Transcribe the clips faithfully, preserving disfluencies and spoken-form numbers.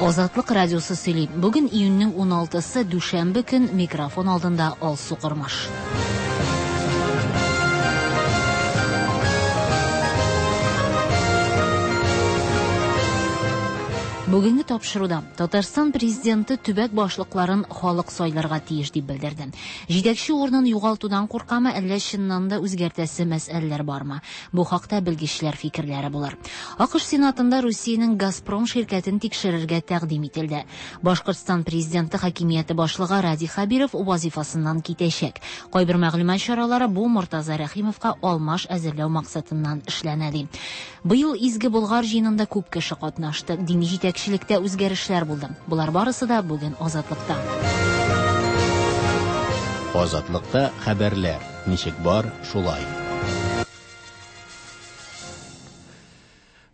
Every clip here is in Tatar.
Азатлык радиосы сөйли. Бүген июньнең уналтысы, дүшәмбе көн, микрофон алдында Алсу Кормаш. Бүгенге тапшыруда Татарстан президенты төбәк башлыкларын халык сайларга тиеш дип белдерде. Җитәкче урынын югалтудан куркамы, әллә чыннан да үзгәртәсе мәсьәләләр бармы? Бу хакта белгечләр фикерләре булыр. АКШ Сенатында Русиянең Газпром ширкәтен тикшерергә тәкъдим ителде. Башкортстан президенты хакимияте башлыгы Радий Хәбиров вазифасыннан китәчәк. Кайбер мәгълүмат чаралары бу Мортаза Рәхимовка алмаш әзерләү максатыннан эшләнә ди. Быел Изге Болгар җыенында күп кеше катнашты. Дини җитәкчелектә үзгәрешләр булды. Болар барысы да бүген Азатлыкта. Азатлыкта хәбәрләр ничек бар, шулай.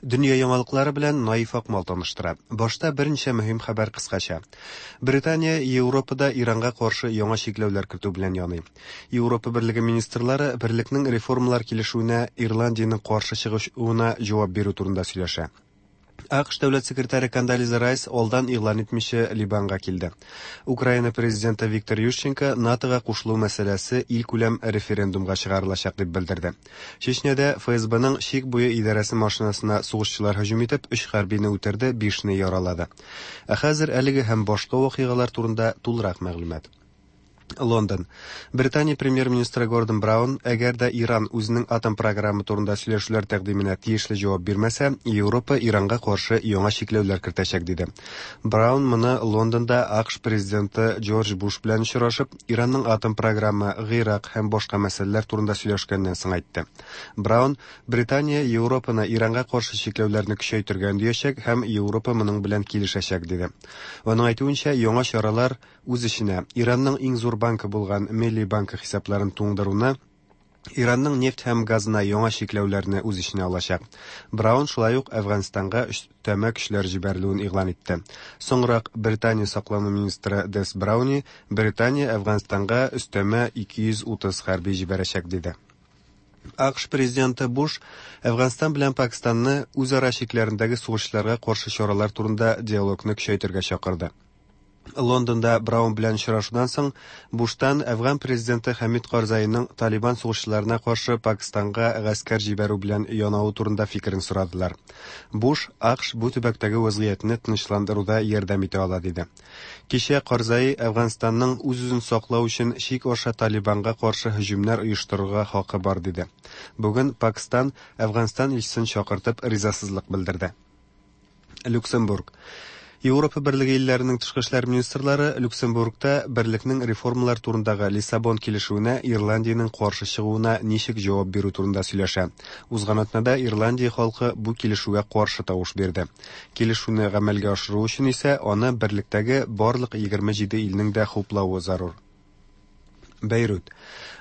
Дөнья яңалыклары белән Наиф Акмал таныштыра. Башта берничә мөһим хәбәр кыскача. Британия Европада Иранга каршы яңа чикләүләр кертү белән яный. Европа Берлеге министрлары берлекнең реформалар килешүенә Ирландиянең каршы чыгышуына җавап бирү турында сөйләшә. АКШ дәүләт секретаре Кондолиза Райс алдан игълан итмичә Либанга килде. Украина президенты Виктор Ющенко НАТОга кушылу мәсьәләсе илкүләм референдумга чыгарылачак дип белдерде. Чечняда ФСБның чик буе идарәсе машинасына сугышчылар һөҗүм итеп, өч хәрбине үтерде, бишне яралады. Ә хәзер әлеге һәм башка вакыйгалар турында тулырак мәгълүмат. Лондон. Британия премьер-министры Гордон Браун, әгәр дә Иран үзенең атом программы турында сөйләшүләр тәкъдименә тиешле җавап бирмәсә, Европа Иранга каршы яңа чикләүләр кертәчәк, диде. Браун моны Лондонда АКШ президенты Джордж Буш белән очрашып, Иранның атом программы, Гыйрак һәм башка мәсьәләләр турында сөйләшкәннән соң әйтте. Браун Британия Европаны Иранга каршы чикләүләрне көчәйтергә өндәячәк һәм Европа моның белән килешәчәк, диде. Аның әйтүенчә, яңа чаралар үз эченә Иранның иң зур банкы булган Милли банкы хисапларын туңдыруны, Иранның нефть һәм газына яңа чикләүләрне үз эченә алачак. Браун шулай ук Әфганстанга өстәмә көчләр җибәрелүен игълан итте. Соңрак Британия саклану министры Дес Брауни Британия Әфганстанга өстәмә ике йөз утыз хәрби җибәрәчәк, диде. АКШ президенты Буш Әфганстан белән Пакистанны үзара чикләрендәге сугышчыларга каршы чаралар турында диалогны көчәйтергә чакырды. Лондонда Браун белән очрашудан соң Буштан Әфган президенты Хәмид Карзайның Талибан сугышчыларына каршы Пакистанга гаскәр җибәрү белән янавы турында фикерен сорадылар. Буш АКШ бу төбәктәге вазгыятьне тынычландыруда ярдәм итә ала, диде. Кичә Карзай Әфганстанның үз-үзен саклау өчен чик аша Талибанга каршы һөҗүмнәр оештырырга хакы бар, диде. Бүген Пакистан Әфганстан илчесен чакыртып ризасызлык белдерде. Люксембург. Европа Берлеге илләренең тышкы эшләр министрлары Люксембургта берлекнең реформалар турындагы Лиссабон килешүенә Ирландиянең каршы чыгуына ничек җавап бирү турында сөйләшә. Узган атнада Ирландия халкы бу килешүгә каршы тавыш бирде. Килешүне гамәлгә ашыру өчен исә аны берлектәге барлык егерме җиде илнең дә хуплавы зарур. Бәйрут.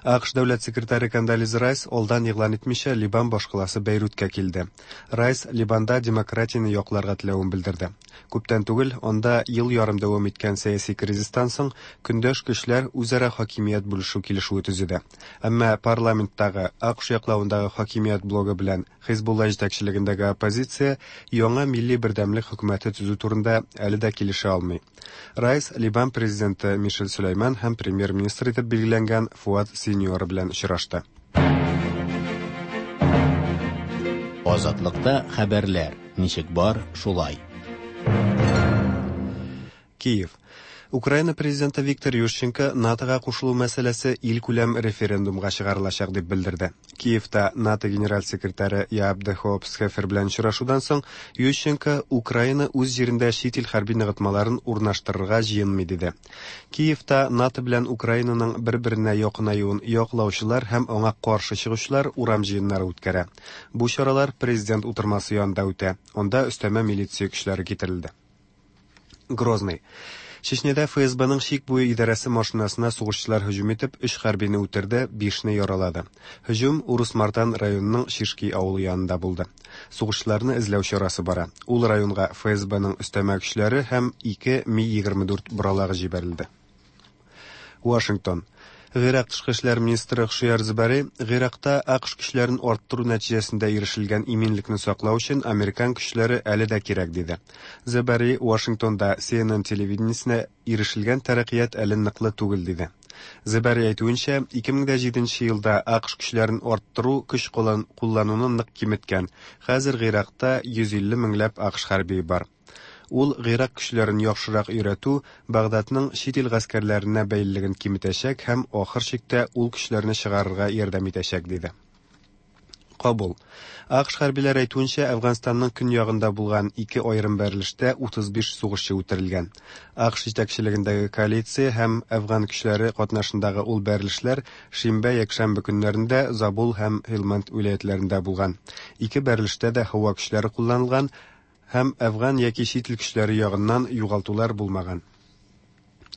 АКШ дәүләт секретаре Кондолиза Райс алдан игълан итмичә Либан башкаласы Бәйруткә килде. Райс Либанда демократияне якларга теләвен белдерде. Күптән түгел анда ел ярым дәвам иткән сәяси кризистан соң көндәш көчләр үзара хакимият бүлешү килешүе төзеде. Әмма парламенттагы АКШ яклавындагы хакимият блогы белән Хизбулла җитәкчелегендәге оппозиция яңа милли бердәмлек хөкүмәте төзү турында әле дә килешә алмый. Райс Либан президенты Мишель Сөләйман һәм премьер-министр итеп билгеләнгән Фуад Синьора белән очрашты. Азатлыкта хәбәрләр ничек бар, шулай. Киев. Украина президенты Виктор Ющенко НАТОга кушылу мәсьәләсе илкүләм референдумга чыгарылачак дип белдерде. Киевта НАТО генераль секретаре Яап де Хоп Схефер белән очрашудан соң Ющенко Украина үз җирендә чит ил хәрби ныгытмаларын урнаштырырга җыенмый диде. Киевта НАТО белән Украинаның бер-беренә якынаюын яклаучылар һәм аңа каршы чыгучылар урам җыеннары үткәрә. Бу чаралар президент утырмасы янында үтә. Анда өстәмә милиция көчләре китерелде. Грозный. Чечняда ФСБның чик буе идарәсе машинасына сугышчылар һөҗүм итеп, өч хәрбине үтерде, бишне яралады. Һөҗүм Урус-Мартан районының Шишки авылы янында булды. Сугышчыларны эзләү чарасы бара. Ул районга ФСБның өстәмә көчләре һәм ике Ми егерме дүрт боралагы җибәрелде. Вашингтон. Гыйрак тышкы эшләр министры Хшияр Зибари Гыйракта АКШ көчләрен арттыру нәтиҗәсендә ирешелгән иминлекне саклау өчен американ көчләре әле дә кирәк диде. Зибари Вашингтонда C N N телевидениесенә ирешелгән тәрәккыят әле ныклы түгел диде. Зибари әйтүенчә, ике мең дә җиденче елда АКШ көчләрен арттыру көч куллануны нык киметкән. Хәзер Гыйракта йөз илле меңләп АКШ хәрбие бар. Ул Гыйрак көчләрен яхшырак өйрәтү Багдадның чит ил гаскәрләренә бәйлелеген киметәчәк һәм ахыр чиктә ул көчләрне чыгарырга ярдәм итәчәк диде. Кабул. АКШ хәрбиләре әйтүенчә, Әфганстанның көньягында булган ике аерым бәрелештә утыз биш сугышчы үтерелгән. АКШ җитәкчелегендәге коалиция һәм Әфган көчләре катнашындагы ул бәрелешләр шимбә-якшәмбе көннәрендә Забул һәм Һилмәнд вилаятьләрендә булган. Ике бәрелештә дә һава көчләре кулланылган һәм Әфган яки чит ил көчләре ягыннан югалтулар булмаган.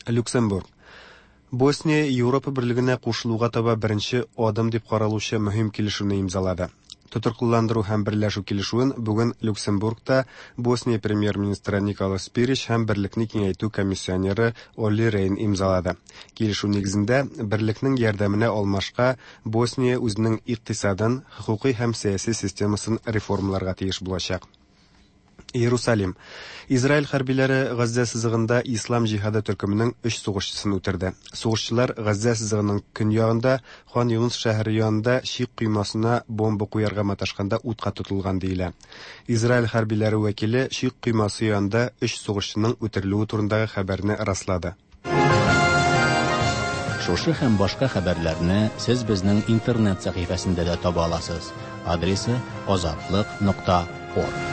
Люксембург. Босния Европа берлегенә кушылуга таба беренче адым дип каралучы мөһим килешүне имзалады. Тотрыклыландыру һәм берләшү килешүен бүген Люксембургта Босния премьер-министры Никола Спирич һәм берлекне киңәйтү комиссионеры Олли Рейн имзалады. Килешү нигезендә берлекнең ярдәменә алмашка Босния үзенең икътисадын, хокукый һәм сәяси системасын реформаларга тиеш булачак. Иерусалим. Израиль хәрбиләре Газзә сызыгында Ислам җиһады төркеменең өч сугышчысын үтерде. Сугышчылар Газзә сызыгының көньягында Хан Юнус шәһәре янында чик коймасына бомба куярга маташканда утка тотылган диелә. Израиль хәрбиләре вәкиле чик коймасы янында өч сугышчының үтерелүе турындагы хәбәрне раслады. Шушы һәм башка хәбәрләрне сез безнең интернет сәхифәсендә дә таба аласыз. Адресы азатлык нокта орг.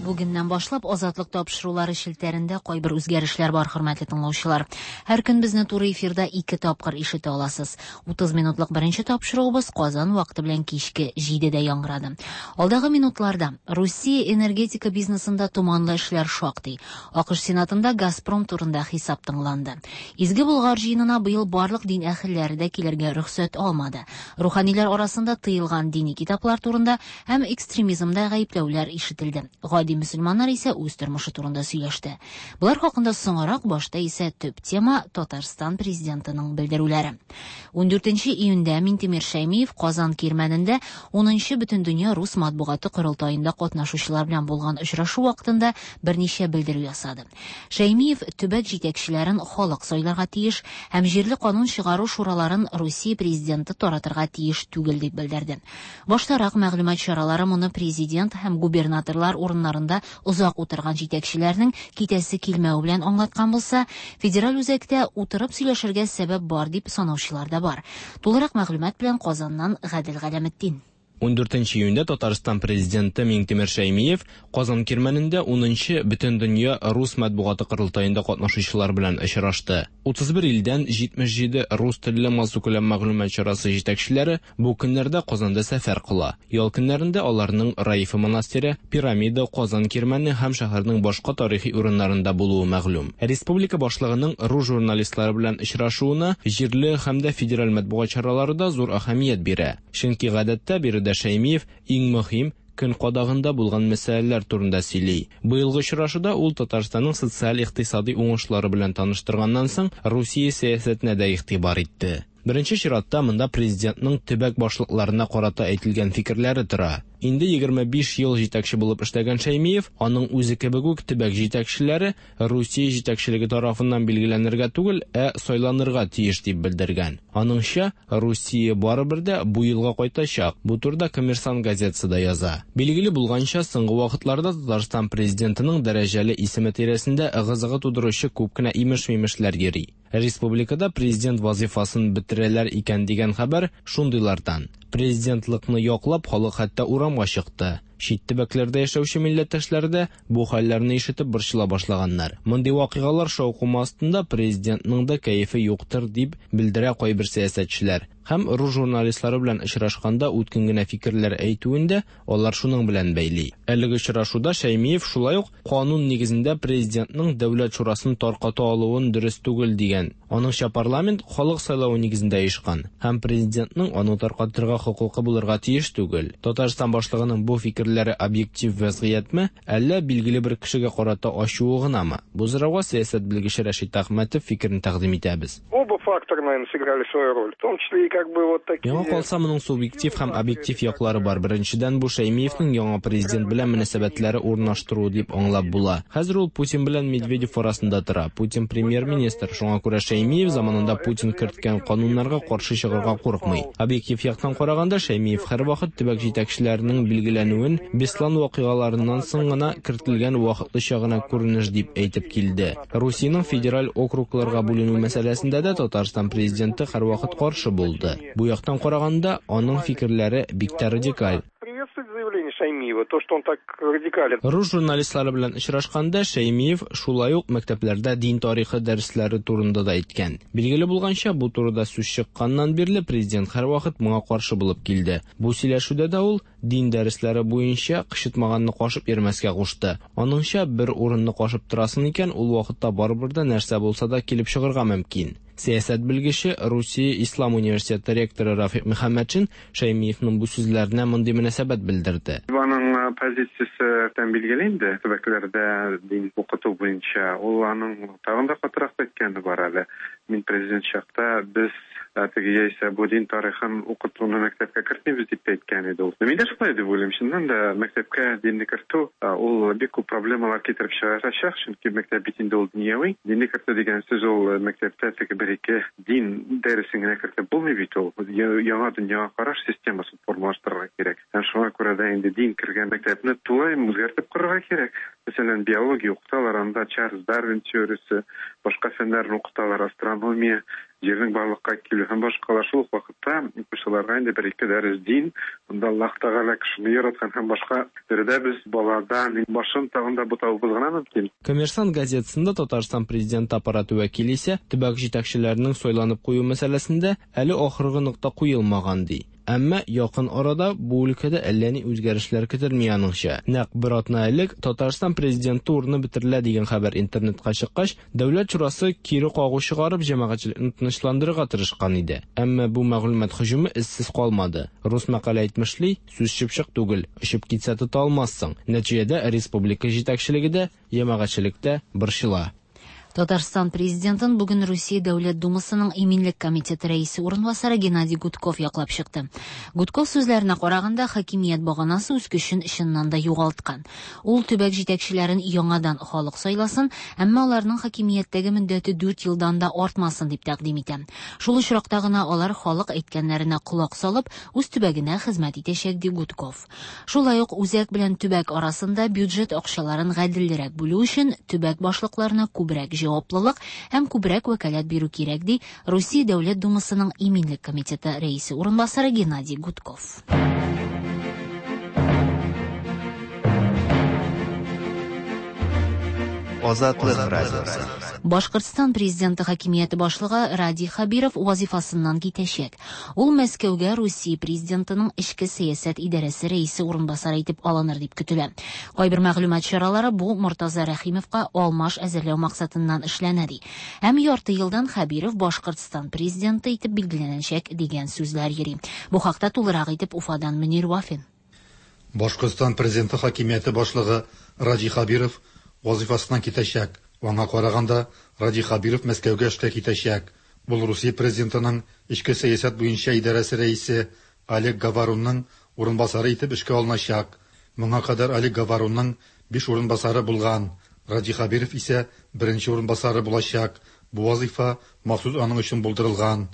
Бүгеннән башлап Азатлык тапшырулары челтәрендә кайбер үзгәрешләр бар, хөрмәтле тыңлаучылар. Һәр көн безне туры эфирда ике тапкыр ишетә аласыз. Утыз минутлык беренче тапшыруыбыз Казан вакыты белән кичке җидедә яңгырады. Алдагы минутларда Русия энергетика бизнесында томанлы эшләр шактый. АКШ Сенатында Газпром турында хисап тыңланды. Изге Болгар җыенына быел барлык дин әһелләре дә килергә рөхсәт алмады. Руханилар арасында тыелган дини китаплар турында һәм экстремизмда гаепләүләр ишетелде. Гади мөселманнар исә үз тормышы турында сөйләште. Болар хакында соңрак, башта исә төп тема Татарстан президентының белдерүләре. Ундүртенче июньдә Минтимер Шәймиев Казан Кирмәнендә унынчы Бөтендөнья рус матбугаты корылтаенда катнашучылар белән булган очрашу вакытында берничә белдерү ясады. Шәймиев төбәк җитәкчеләрен халык сайларга тиеш һәм җирле канун чыгару шураларын Русия президенты таратырга тиеш түгел дип белдерде. Баштарак мәгълүмат чаралары моны президент һәм губернаторлар урыннарында озак утырган җитәкчеләрнең китәсе килмәве белән аңлаткан булса, федераль үзәктә утырып сөйләшергә сәбәп бар дип санаучылар да бар. Тулырак мәгълүмат белән Казаннан Гадел Галәметдин. Ундүртенче июньдә Татарстан президенты Миңтимер Шәймиев Казан Кирмәнендә унынчы Бөтендөнья рус матбугаты корылтаенда катнашучылар белән очрашты. Утыз бер илдән җитмеш җиде рус телле массакүләм мәгълүмат чарасы җитәкчеләре бу көннәрдә Казанда сәфәр кыла. Ял көннәрендә аларның Раифа монастыре, Пирамида, Казан Кирмәне һәм шәһәрнең башка тарихи урыннарында булуы мәгълүм. Республика башлыгының рус журналистлары белән очрашуына җирле һәм дә федераль матбугат чаралары да зур әһәмият бирә. Чөнки гадәттә биредә Шәймиев иң мөһим көн кадагында булган мәсьәләләр турында сөйли. Быелгы очрашуда ул Татарстанның социаль-икътисади уңышлары белән таныштырганнан соң Русия сәясәтенә дә игътибар итте. Беренче чиратта монда президентның төбәк башлыкларына карата әйтелгән фикерләре тора. Инде егерме биш ел җитәкче булып эшләгән Шәймиев, аның үзе кебек үк төбәк җитәкчеләре Русия җитәкчелеге тарафыннан билгеләнергә түгел, ә сайланырга тиеш дип белдергән. Аныңча, Русия барыбер дә бу елга кайтачак. Бу турыда Коммерсант газетасы да яза. Билгеле булганча, соңгы вакытларда Татарстан президентының дәрәҗәле исеме тирәсендә ыгы-зыгы тудыручы күп кенә имеш-мимешләр йөри. Республикада президент вазифасын бетерәләр икән дигән хәбәр шундыйлардан. Президентлыкны яклап халык хәтта урамга чыкты. Чит төбәкләрдә яшәүче милләттәшләр дә бу хәлләрне ишетеп борчыла башлаганнар. Мондый вакыйгалар шаукымы астында президентның да кәефе юктыр дип белдерә кайбер сәясәтчеләр. Һәм рус журналистлары белән очрашканда үткен генә фикерләр әйтүен дә алар шуның белән бәйли. Әлеге очрашуда Шәймиев шулай ук канун нигезендә президентның Дәүләт шурасын тарката алуын дөрес түгел дигән. Аныңча, парламент халык сайлавы нигезендә оешкан һәм президентның аны таркатырга хокукы булырга тиеш түгел. Татарстан башлыгының бу фикерләре объектив вазгыятьме, әллә билгеле бер кешегә карата ачуы гынамы? Бу сорауга сәясәт белгече Рәшит Әхмәтов фикерен тәкъдим итәбез. Оба фактора, наверное, сыграли свою роль, в том числе и как бы вот такие. Миңа калса, моның субъектив һәм объектив яклары бар. Беренчедән, бу Шәймиевнең яңа президент белән мөнәсәбәтләре урнаштыру дип аңлап була. Хәзер ул Путин белән Медведев арасында тора. Путин премьер-министр, шуңа күрә Шәймиев заманында Путин керткән кануннарга каршы чыгарга курыкмый. Объектив яктан караганда, Шәймиев һәрвакыт төбәк җитәкчеләренең билгеләнүен Беслан вакыйгаларыннан соң гына кертелгән вакытлыча гына күренеш дип әйтеп килде. Русиянең федераль округларга бүленү мәсьәләсендә дә Татарстан президенты һәрвакыт каршы булды. Бу яктан караганда, аның фикерләре бик тә радикаль. Приветствовать заявление Шаймиева, то, что он так радикален. Рус журналистлары белән очрашканда Шәймиев шулай ук мәктәпләрдә дин тарихы дәресләре турында да әйткән. Билгеле булганча, бу турыда сүз чыкканнан бирле президент һәрвакыт моңа каршы булып килде. Бу сөйләшүдә дә ул дин дәресләре буенча кычытмаганны кашып йөрмәскә кушты. Аныңча, бер урынны кашып торасың икән, ул вакытта барыбер дә нәрсә булса да килеп чыгарга мөмкин. Сәясәт белгече, Русия Ислам университеты ректоры Рафик Мөхәммәтшин Шәймиевнең бу сүзләренә мондый мөнәсәбәт белдерде. Аның позициясе тән билгеле инде, төбәкләрдә дин укыту буенча. Ул аның тагын да катырак әйткәне бар әле. Мин президент чакта без теге яисә бу дин тарихын укытуны мәктәпкә кертмибез дип әйткән иде ул. Мин дә шулай дип уйлыйм. Чыннан да мәктәпкә динне кертү ул бик күп проблемалар китереп чыгарачак, чөнки мәктәп бит инде ул дөньяви. Динне кертү дигән сүз ул мәктәптә теге бер-ике дин дәресен генә кертеп булмый бит ул. Яңа дөньяга караш системасын формалаштырырга кирәк. Һәм шуңа күрә дә инде дин кергән мәктәпне тулаем үзгәртеп корырга кирәк. Мәсәлән, биология укыталар, анда Чарльз Дарвин теориясе, башка фәннәрне укыталар, астрономия, җирнең барлыкка килү һәм башкалар. Шул ук вакытта укучыларга инде бер-ике дәрес дин, анда Аллаһ Тәгалә кешене яраткан һәм башка төрле без балада башын тагын да бутавыбыз гына мөмкин. Коммерсант газетасында Татарстан президенты аппараты вәкиле исә төбәк җитәкчеләренең сайланып кую мәсьәләсендә әле ахыргы нокта куелмаган ди. Әмма якын арада бу өлкәдә әллә ни үзгәрешләр көтелми аныңча. Нәкъ бер атна элек Татарстан президенты урыны бетерелә дигән хәбәр интернетка чыккач, Дәүләт шурасы кире кагу чыгарып җәмәгатьчелекне тынычландырырга тырышкан иде. Әмма бу мәгълүмат һөҗүме эзсез калмады. Рус мәкале әйтмешли, сүз чыпчык түгел, очып китсә тота алмассың. Нәтиҗәдә республика җитәкчелеге дә, җәмәгатьчелек тә борчыла. Татарстан президентын бүген Русия Дәүләт Думасының Иминлек комитеты рәисе урынбасары Геннадий Гудков яклап чыкты. Гудков сүзләренә караганда, хакимият баганасы үз көчен чыннан да югалткан. Ул төбәк җитәкчеләрен яңадан халык сайласын, әмма аларның хакимияттәге мөддәте дүрт елдан да артмасын дип тәкъдим итә. Шул очракта гына алар халык әйткәннәренә колак салып, үз төбәгенә хезмәт итәчәк, ди Гудков. Шулай ук үзәк белән төбәк арасында бюджет акчаларын гаделрәк бүлү өчен төбәк башлыкларына күбрәк җаваплылык һәм күбрәк вәкаләт бирү кирәк, ди Русия Дәүләт Думасының Иминлек комитеты рәисе урынбасары Геннадий Гудков. Азатлык радиосы. Башкортстан президенты хакимияте башлыгы Радий Хабиров вазифасыннан китәчәк. Ул Мәскәүгә Русия президентының эчке сәясәт идарәсе рәисе урынбасары итеп алыныр дип көтелә. Кайбер мәгълүмат чаралары бу Мортаза Рәхимовка алмаш әзерләү максатыннан эшләнә ди. Һәм ярты елдан Хабиров Башкортстан президенты итеп билгеләнәчәк дигән сүзләр йөри. Бу хакта тулырак итеп Уфадан Мөнир Вафин. Башкортстан президенты хакимияте башлыгы Радий Хабиров вазифасыннан китәчәк. Аңа караганда, Радий Хабиров Мәскәүгә эшкә китәчәк. Ул Русия президентының эчке сәясәт буенча идарәсе рәисе Олег Говорунның урынбасары итеп эшкә алыначак. Моңа кадәр Олег Говорунның биш урынбасары булган. Радий Хабиров исә беренче урынбасары булачак. Бу вазифа махсус аның өчен булдырылган.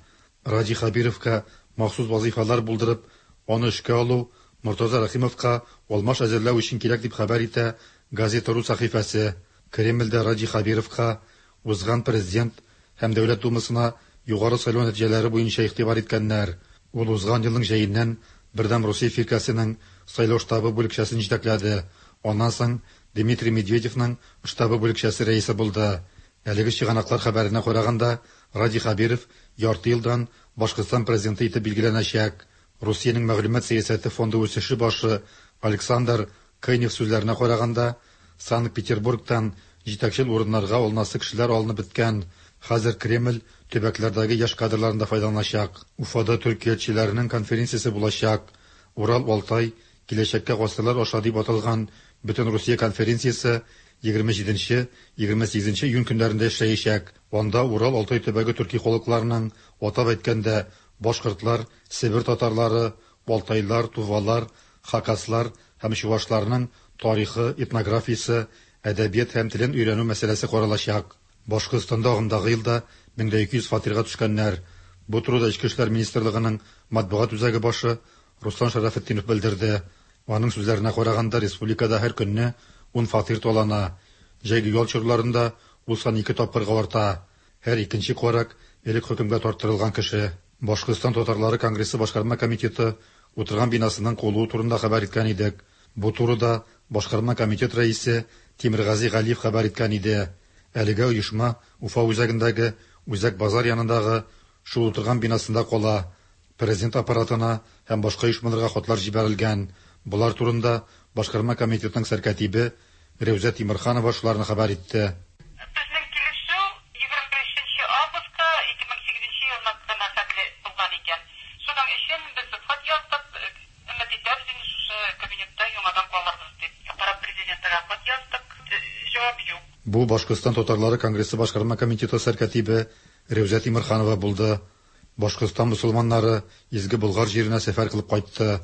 Радий Хабировка махсус вазифалар булдырып, аны эшкә алу Мортаза Рәхимовка алмаш әзерләү өчен кирәк дип хәбәр итә Газета.ру сәхифәсе. Кремльдә Радий Хабировка узган президент һәм Дәүләт Думасына югары сайлау нәтиҗәләре буенча игътибар иткәннәр. Ул узган елның җәеннән Бердәм Русия фиркәсенең сайлау штабы бүлекчәсен җитәкләде. Аннан соң Дмитрий Медведевның штабы бүлекчәсе рәисе булды. Әлеге чыганаклар хәбәренә караганда, Радий Хабиров ярты елдан Башкортстан президенты итеп билгеләнәчәк. Русиянең мәгълүмат сәясәте фонды үсеше башы Александр Кайнев сүзләренә караганда, Санкт-Петербургтан җитәкчел урыннарга алынасы кешеләр алынып беткән. Хәзер Кремль төбәкләрдәге яшь кадрларын да файдаланачак. Уфада төркиятчеләрнең конференциясе булачак. Урал-Алтай киләчәккә гасырлар аша дип аталган Бөтен Русия конференциясе егерме җиденче, егерме сигезенче июнь көннәрендә эшләячәк. Анда Урал-Алтай төбәге төрки халыкларының, атап әйткәндә, башкортлар, Себер татарлары, алтайлар, тувалар, хакаслар һәм чувашларның тарихы, этнографиясе, әдәбият һәм телен өйрәнү мәсьәләсе каралачак. Башкортстанда агымдагы елда мең дә ике йөз фатирга төшкәннәр. Бу турыда Эчке эшләр министрлыгының матбугат үзәге башы Руслан Шарафетдинов белдерде. Аның сүзләренә караганда, республикада һәр көнне ун фатир талана. Җәйге ял чорларында ул сан ике тапкырга арта. Һәр икенче карак элек хөкемгә тарттырылган кеше. Башкортстан татарлары конгрессы башкарма комитеты утырган бинасының куылуы турында хәбәр иткән идек. Бу турыда башкарма комитет рәисе Тимергази Галиев хәбәр иткән иде. Әлегә оешма Уфа үзәгендәге Үзәк базар янындагы шул утырган бинасында кала. Президент аппаратына һәм башка оешмаларга хатлар җибәрелгән. Болар турында башкарма комитетның сәркатибе Рәүзә Тимерханова шуларны хәбәр итте. Безнең килешү егерме бишенче августка ике мең сигезенче елны гына хәтле булган икән. Шуның өчен без хат яздык, өмет итәбез инде шушы кабинетта яңадан калырбыз дип. Аппарат президентына хат яздык, җавап юк. Бу Башкортстан татарлары конгрессы башкарма комитеты сәркатибе Рәүзә Тимерханова булды. Башкортстан мусулманнары изге Болгар җиренә сәфәр кылып кайтты.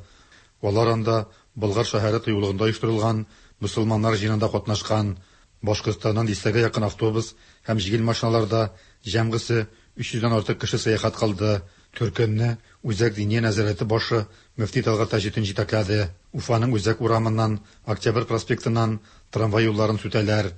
Алар анда Болгар шәһәре тыюлыгында оештырылган мусулманнар җыенында катнашкан. Башкортстаннан дистәгә якын автобус һәм җиңел машиналарда җәмгысе өч йөздән артык кеше сәяхәт кылды. Төркемне Үзәк диния нәзарәте башы Мөфти Талгат Таҗетдин җитәкләде. Уфаның Үзәк урамыннан, Октябрь проспектыннан трамвай юлларын сүтәләр.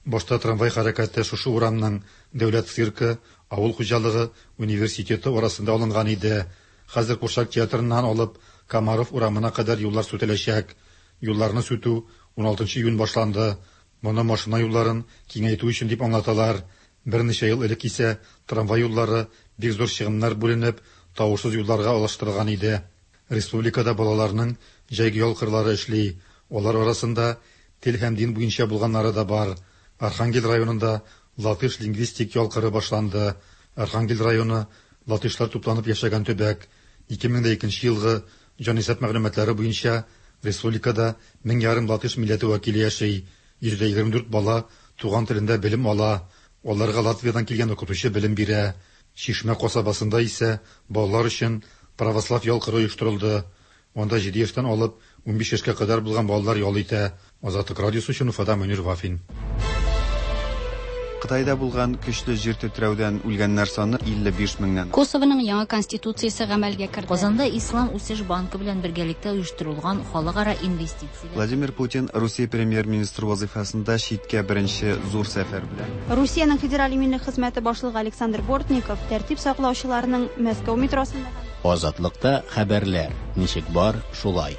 Башта трамвай хәрәкәте шушы урамның Дәүләт циркы, авыл хуҗалыгы университеты арасында алынган иде. Хәзер Курчак театрыннан алып Комаров урамына кадәр юллар сүтеләчәк. Юлларны сүтү уналтынчы июнь башланды. Моны машина юлларын киңәйтү өчен дип аңлаталар. Берничә ел элек исә трамвай юллары бик зур чыгымнар бүленеп, тавышсыз юлларга алыштырылган иде. Республикада балаларның җәйге ял кырлары эшли. Алар арасында тел һәм дин буенча булганнары да бар. Архангел районында латыш лингвистик ял кыры башланды. Архангел районы латышлар тупланып яшәгән төбәк. ике мең дә икенче елгы җанисәп мәгълүматлары буенча республикада мең ярым латыш милләте вәкиле яши. Йөз дә егерме дүрт бала туган телендә белем ала. Аларга Латвиядан килгән укытучы белем бирә. Чишмә касабасында исә балалар өчен православ ял кыры оештырылды. Анда җиде яшьтән алып унбиш яшькә кадәр булган балалар ял итә. Азатлык радиосы өчен Уфада Мөнир Вафин. Кытайда булган көчле җир тетрәүдән үлгәннәр саны илле биш меңнән. Косовоның яңа конституциясе гамәлгә керде. Казанда Ислам үсеш банкы белән бергәлектә оештырылган халыкара инвестицияләр. Владимир Путин Русия премьер-министры вазифасында читкә беренче зур сәфәр белән. Русиянең федераль иминлек хезмәте башлыгы Александр Бортников тәртип саклаучыларның Мәскәү метросында Азатлыкта хәбәрләр ничек бар, шулай.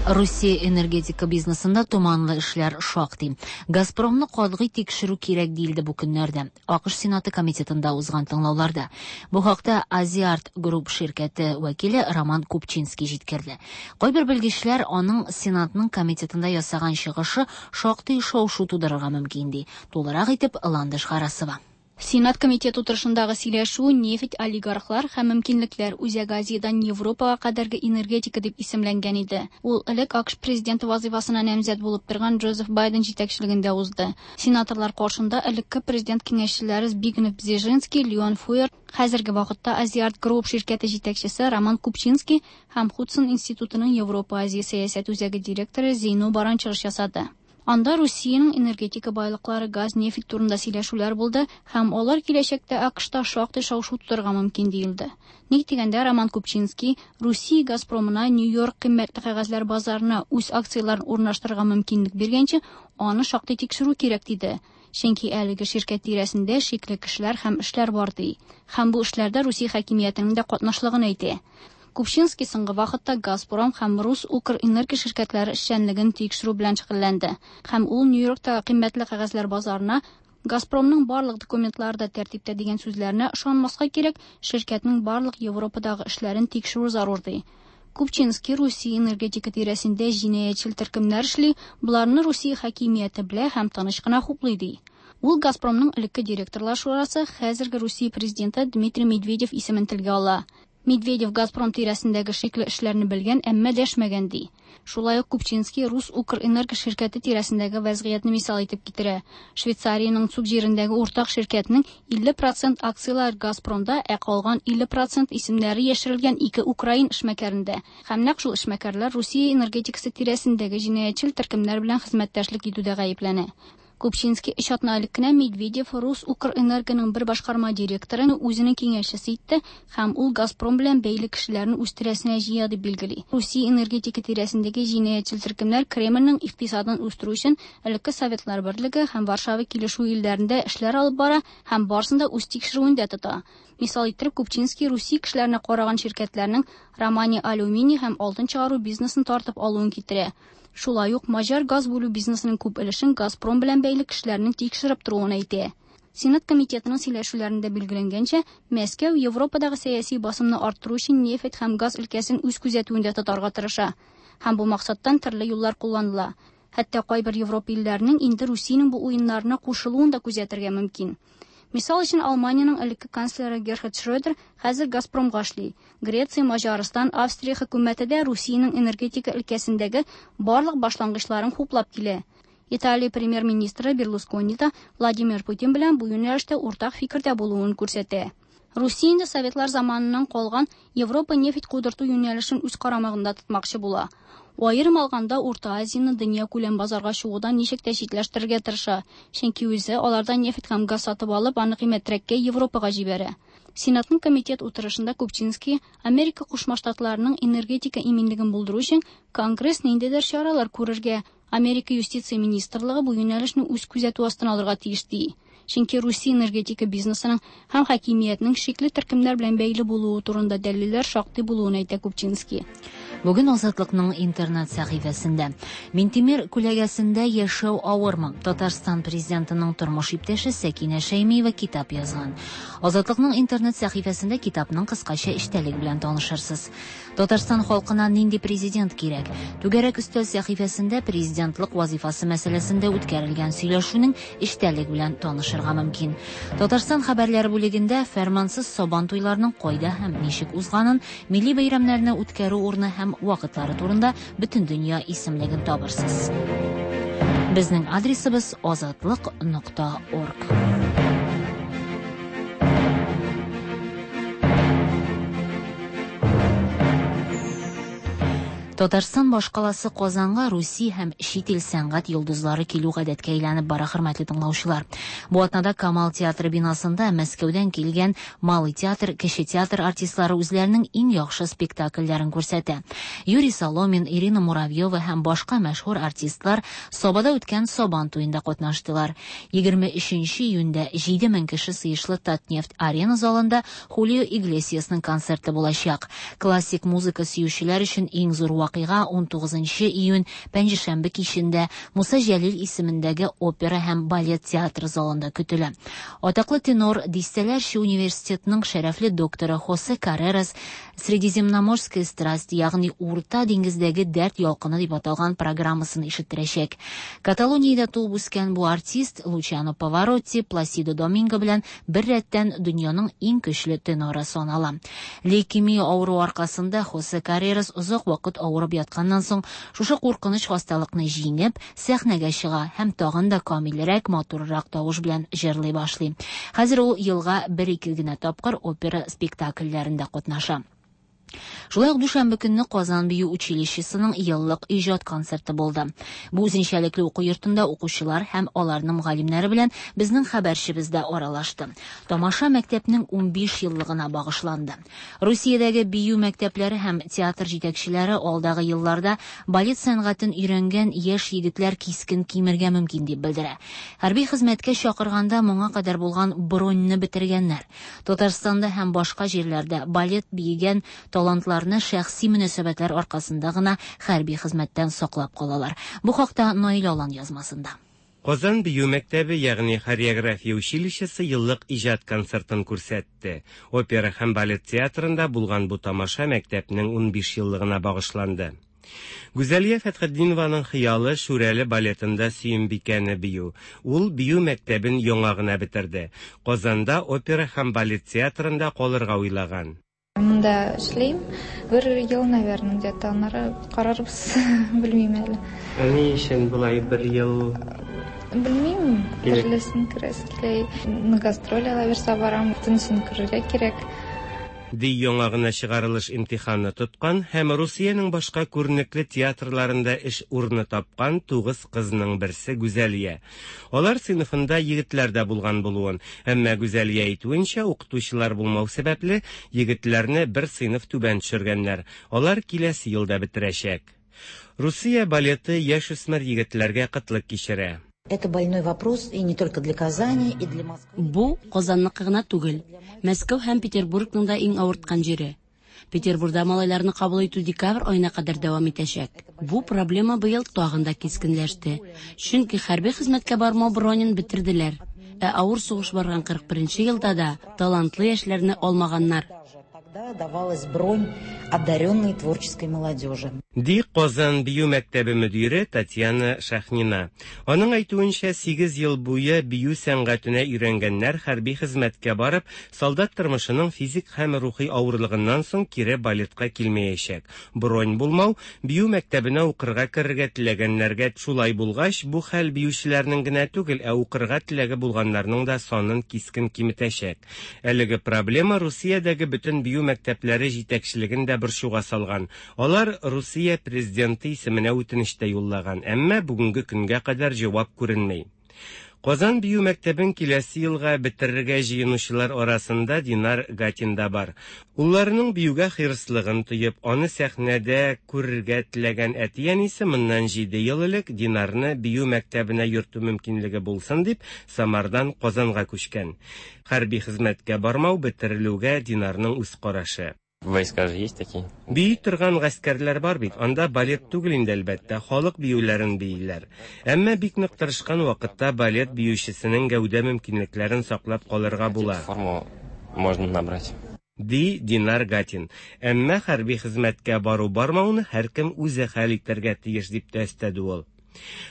Русия энергетика бизнесында томанлы эшләр шактый. Газпромны катгый тикшерү кирәк диелде бу көннәрдә. АКШ Сенаты комитетында узган тыңлауларда. Бу хакта Азиарт Групп ширкәте вәкиле Роман Купчинский җиткерде. Кайбер белгечләр аның Сенатның комитетында ясаган чыгышы шактый шау-шу тудырырга мөмкин ди. Тулырак итеп Ландыш Харасова. Сенат комитеты утырышындагы сөйләшү нефть олигархлар һәм мөмкинлекләр Үзәк Азиядән Европага кадәрге энергетика дип исемләнгән иде. Ул элек АКШ президенты вазифасына намзәт булып торган Джозеф Байден җитәкчелегендә узды. Сенаторлар каршында элекке президент киңәшчеләре Збигнев Бзежинский, Леон Фуер, хәзерге вакытта Азиарт Групп ширкәте җитәкчесе Роман Купчинский һәм Худсон институтының Европа Азия сәясәт үзәге директоры Зейну Баран чыгыш ясады. Анда Русиянең энергетика байлыклары, газ, нефть турында сөйләшүләр булды һәм алар киләчәктә АКШта шактый шау-шу тудырырга мөмкин диелде. Ник дигәндә, Роман Купчинский Русия Газпромына Нью-Йорк кыйммәтле кәгазьләр базарына үз акцияләрен урнаштырырга мөмкинлек биргәнче, аны шактый тикшерү кирәк диде. Чөнки әлеге ширкәт тирәсендә шикле кешеләр һәм эшләр бар ди. Һәм бу эшләрдә Русия хакимиятенең дә катнашлыгын әйтә. Купчинский соңгы вакытта Газпром һәм Рус Укрэнерго ширкәтләре эшчәнлеген тикшерү белән шөгыльләнде. Һәм ул Нью-Йорктагы кыйммәтле кәгазьләр базарына Газпромның барлык документлары да тәртиптә дигән сүзләренә ышанмаска кирәк, ширкәтнең барлык Европадагы эшләрен тикшерү зарур ди. Купчинский Русия энергетика тирәсендә җинаятьчел төркемнәр эшли, боларны Русия хакимияте белә һәм тыныч кына хуплый ди. Ул Газпромның элекке директорлар шурасы, хәзерге Русия президенты Дмитрий Медведев исемен телгә ала. Медведев Газпром тирәсендәге шикле эшләрне белгән, әмма дәшмәгән ди. Шулай ук Купчинский Рус Укрэнерго ширкәте тирәсендәге вәзгыятьне мисал итеп китерә. Швейцариянең Цуг җирендәге уртак ширкәтнең илле процент акцияләре Газпромда, ә калган илле процент исемнәре яшерелгән ике украин эшмәкәрендә. Һәм нәкъ шул эшмәкәрләр Русия энергетикасы тирәсендәге җинаятьчел төркемнәр белән хезмәттәшлек итүдә гаепләнә. Купчинский өч атна элек кенә Медведев Рус Укрэнергоның бер башкарма директорын үзенең киңәшчесе итте һәм ул Газпром белән бәйле кешеләрне үз тирәсенә җыя дип билгели. Русия энергетика тирәсендәге җинаятьчел төркемнәр Кремльнең икътисадын үстерү өчен элекке Советлар Берлеге һәм Варшава килешүе илләрендә эшләр алып бара һәм барысын да үз тикшерүендә тота. Мисал иттереп, Купчинский Русия кешеләренә караган ширкәтләрнең Романия алюминий һәм алтын чыгару бизнесын тартып алуын китерә. Шулай ук маҗар газ бүлү бизнесының күп өлешен Газпром белән бәйле кешеләрнең тикшереп торуын әйтә. Сенат комитетының сөйләшүләрендә билгеләнгәнчә, Мәскәү Европадагы сәяси басымны арттыру өчен нефть һәм газ өлкәсен үз күзәтүендә тотарга тырыша. Һәм бу максаттан төрле юллар кулланыла. Хәтта кайбер Европа илләренең инде Русиянең бу уеннарына кушылуын да күзәтергә мөмкин. Мисал өчен, Алманиянең элекке канцлеры Герхард Шрёдер хәзер Газпромга эшли. Греция, Маҗарстан, Австрия хөкүмәте дә Русиянең энергетика өлкәсендәге барлык башлангычларын хуплап килә. Италия премьер-министры Берлускони да Владимир Путин белән бу юнәлештә уртак фикердә булуын күрсәтә. Русия инде Советлар заманыннан калган Европа нефть кудырту юнәлешен үз карамагында тотмакчы була. Аерым алганда Урта Азияны дөнья күләм базарга чыгудан ничек тә читләштерергә тырыша, чөнки үзе алардан нефть һәм газ сатып алып, аны кыйммәтрәккә Европага җибәрә. Сенатның комитет утырышында Купчинский Америка Кушма Штатларының энергетика иминлеген булдыру өчен Конгресс ниндидер чаралар күрергә, Америка юстиция министрлыгы бу юнәлешне үз күзәтү астына алырга тиеш ди. Чөнки Русия энергетика бизнесының һәм хакимиятнең шикле төркемнәр белән бәйле булуы турында дәлилләр шактый булуын әйтә Купчинский. Бүген Азатлыкның интернет сәхифәсендә Минтимер күләгәсендә яшәү авырмы? Татарстан президентының тормыш иптәше Сәкинә Шәймиева китап язган. Азатлыкның интернет сәхифәсендә китапның кыскача эчтәлеге белән танышырсыз. Татарстан халкына нинди президент кирәк? Түгәрәк өстәл сәхифәсендә президентлык вазифасы мәсьәләсендә үткәрелгән сөйләшүнең эчтәлеге белән танышырга мөмкин. Татарстан хәбәрләре бүлегендә фәрмансыз сабан туйларының кайда һәм ничек узганын, милли бәйрәмнәрне үткәрү урыны һәм вакытлары турында бөтен дөнья исемлеген табырсыз. Безнең адресыбыз азатлык нокта орг. Татарстан башкаласы Казанга Русия һәм чит ил сәнгать йолдызлары килү гадәткә әйләнеп бара, хөрмәтле тыңлаучылар. Бу атнада Камал театры бинасында Мәскәүдән килгән Малый театр, Кече театр артистлары үзләренең иң яхшы спектакльләрен күрсәтә. Юрий Соломин, Ирина Муравьева һәм башка мәшһүр артистлар Сабада үткән Сабан туенда катнаштылар. Егерме өченче июньдә җиде мең кеше сыешлы Татнефть арена залында Хулио Иглесиасның концерты булачак. Классик музыка сөючеләр өчен иң зур вакыйга ун тугызынчы июнь пәнҗешәмбе кичендә Муса Җәлил исемендәге опера һәм балет театры залында көтелә. Атаклы тенор, дистәләрчә университетның шәрәфле докторы Хосе Каррерас Средиземноморская страсть, ягъни Урта диңгездәге дәрт ялкыны дип аталган программасын ишеттерәчәк. Каталониядә туып үскән бу артист Лучано Паваротти, Пласидо Доминго белән бер рәттән дөньяның иң көчле теноры санала. Лейкемия авыруы аркасында Хосе Каррерас озак вакыт авырып ятканнан соң шушы куркыныч хасталыкны җиңеп, сәхнәгә чыга һәм тагын да камилрәк, матуррак тавыш белән җырлый башлый. Хәзер ул елга бер-ике генә тапкыр опера спектакльләрендә катнаша. Шулай ук дүшәмбе көнне Казан бию училищесының еллык иҗат концерты булды. Бу үзенчәлекле уку йортында укучылар һәм аларның мөгаллимнәре белән безнең хәбәрчебез дә аралашты. Тамаша мәктәпнең унбиш еллыгына багышланды. Русиядәге бию мәктәпләре һәм театр җитәкчеләре алдагы елларда балет сәнгатен өйрәнгән яшь егетләр кискен кимергә мөмкин дип белдерә. Хәрби хезмәткә чакырганда моңа кадәр булган броньны бетергәннәр. Татарстанда һәм башка җирләрдә балет биегән талантларны шәхси мөнәсәбәтләр аркасында гына хәрби хезмәттән саклап калалар. Бу хакта Наил Алан язмасында. Казан бию мәктәбе, ягъни хореография училищесы еллык иҗат концертын күрсәтте. Опера һәм балет театрында булган бу тамаша мәктәпнең унбиш еллыгына багышланды. Гүзәлия Фәтхетдинованың хыялы Шүрәле балетында Сөембикәне бию. Ул бию мәктәбен яңа гына бетерде. Казанда опера һәм балет театрында калырга уйлаган. Монда эшлим. Бер ел, наверное, где-то аннары карарбыз, белмим әле. Ә ни өчен болай бер ел? Белмим, төрлесен күрәсе килә. На гастроль ала бирсә барам, бөтенесен күрергә кирәк. Ди яңа гына чыгарылыш имтиханы тоткан һәм Русиянең башка күренекле театрларында эш урыны тапкан тугыз кызның берсе Гүзәлия. Алар сыйныфында егетләр дә булган булуын, әмма Гүзәлия әйтүенчә, укытучылар булмау сәбәпле егетләрне бер сыйныф түбән төшергәннәр. Алар киләсе елда бетерәчәк. Русия балеты яшүсмер егетләргә кытлык кичерә. Это больной вопрос и не только для Казани, и для Москвы. Бу Казанныкы гына түгел, Мәскәү һәм Петербургның да иң авырткан җире. Петербургда малайларны кабул итү декабрь аена кадәр дәвам итәчәк. Бу проблема быел тагын да кискенләште. Чөнки хәрби хезмәткә бармау бронен бетерделәр. Ә авыр сугыш барган кырык беренче елда да талантлы яшьләрне алмаганнар. Давалась бронь одаренной творческой молодежи. Ди Казан бию мәктәбе мөдире Татьяна Шахнина. Аның әйтүенчә, сигез ел буе бию сәнгатенә өйрәнгәннәр хәрби хезмәткә барып, солдат тормышының физик һәм рухи авырлыгыннан соң кире балетка килмәячәк. Бронь булмау бию мәктәбенә укырга керергә теләгәннәргә шулай булгач, бу хәл биючеләрнең генә түгел, ә укырга теләге булганнарның да санын кискен киметәчәк. Әлеге проблема Русиядәге бөтен бию мәктәпләре җитәкчелеген дә борчуга салган. Алар Русия президенты исеменә үтенеч тә юллаган, әмма бүгенге көнгә кадәр җавап күренми. Казан бию мәктәбен киләсе елга бетерергә җыенучылар арасында Динар Гатин да бар. Улларының биюгә хирыслыгын тоеп, аны сәхнәдә күрергә теләгән әти-әнисе моннан җиде ел элек Динарны бию мәктәбенә йөртү мөмкинлеге булсын дип, Самардан Казанга күчкән. Хәрби хезмәткә бармау бетерелүгә Динарның үз карашы. Войска же есть такие. Бии торган гаскәрләр бар бит, анда балет түгел инде әлбәттә, халык биюләрен бииләр. Әмма бик нык тырышкан вакытта балет биючесенең гәүдә мөмкинлекләрен саклап калырга була. Форму можно набрать. Ди Динар Гатин. Әмма хәрби хезмәткә бару бармауны һәркем үзе хәл итәргә тиеш дип тә өстәде ул.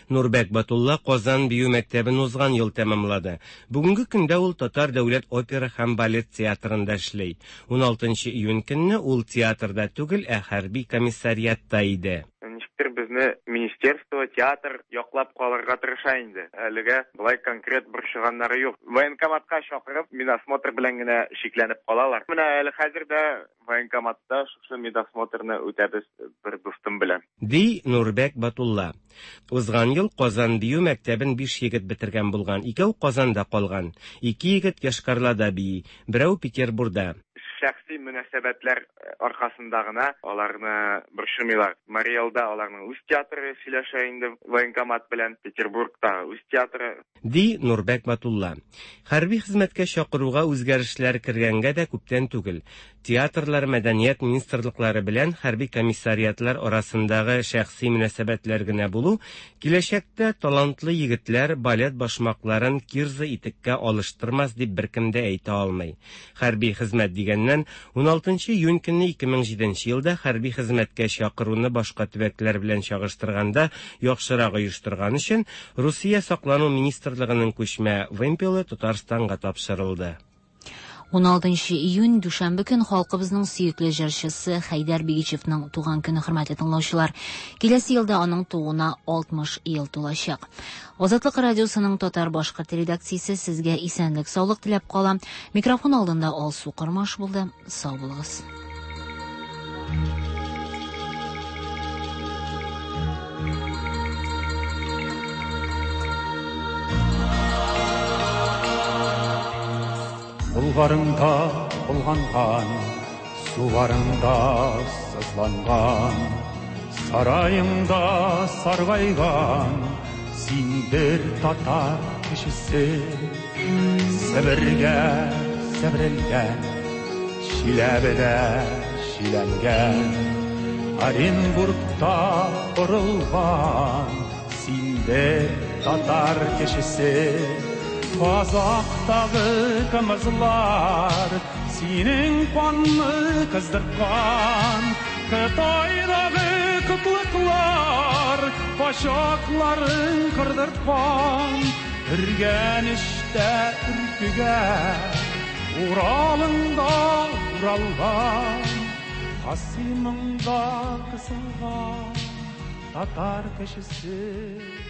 Нурбәк Батулла Казан бию мәктәбен узган ел тәмамлады. Бүгенге көндә ул Татар дәүләт опера һәм балет театрында эшли. уналтынчы июнь көнне ул театрда түгел, ә хәрби комиссариатта иде. Ничектер безне министерство, театр яклап калырга тырыша инде. Әлегә болай конкрет борчыганнары юк. Военкоматка чакырып, медосмотр белән генә шикләнеп калалар. Менә әле хәзер дә военкоматта шушы медосмотрны үтәбез бер дустым белән. Ди Нурбәк Батулла. Узган ел Казан бию мәктәбен биш егет бетергән булган, икәү Казанда калган. Ике егет Йошкар-Олада бии, берәү Петербургда. Шәхси мөнәсәбәтләр аркасында гына аларны борчымыйлар. Мариэлда аларның үз театры сөйләшә инде военкомат белән, Петербургта үз театры. Ди Нурбәк Батулла. Хәрби хезмәткә чакыруга үзгәрешләр кергәнгә дә күптән түгел. Театрлар, мәдәният министрлыклары белән хәрби комиссариатлар арасындагы шәхси мөнәсәбәтләр генә булу, киләчәктә талантлы егетләр балет башмакларын кирза итеккә алыштырмас дип беркем дә әйтә алмый. Хәрби хезмәт дигәннән, уналтынчы июнь көнне ике мең җиденче елда хәрби хезмәткә чакыруны башка төбәкләр белән чагыштырганда яхшырак оештырган өчен Русия саклану министрлыгының күчмә вымпелы Татарстанга тапшырылды. уналтынчы июнь дүшәмбе көн халкыбызның сөекле җырчысы Хәйдәр Бигичевның туган көне, хөрмәтле тыңлаучылар. Киләсе елда аның тууына алтмыш ел тулачак. Азатлык радиосының татар башкорт редакциясе сезгә исәнлек, саулык теләп кала. Микрофон алдында Алсу Кормаш булды. Сау булыгыз. Bulgarında bulgangан, suvarında sızlangan, sarayında sargaygan, син бер татар кешесе, Себергә себерелгән, Чиләбедә чиләнгән, Оренбургта корылган, син бер татар кешесе. Казактагы кымызлар синең канны кыздырткан, Кытайдагы кытлыклар качакларын кырдырткан. Өргәнештә өркегә, Уралыңда уралган, Касыймыңда кысылган татар кешесе.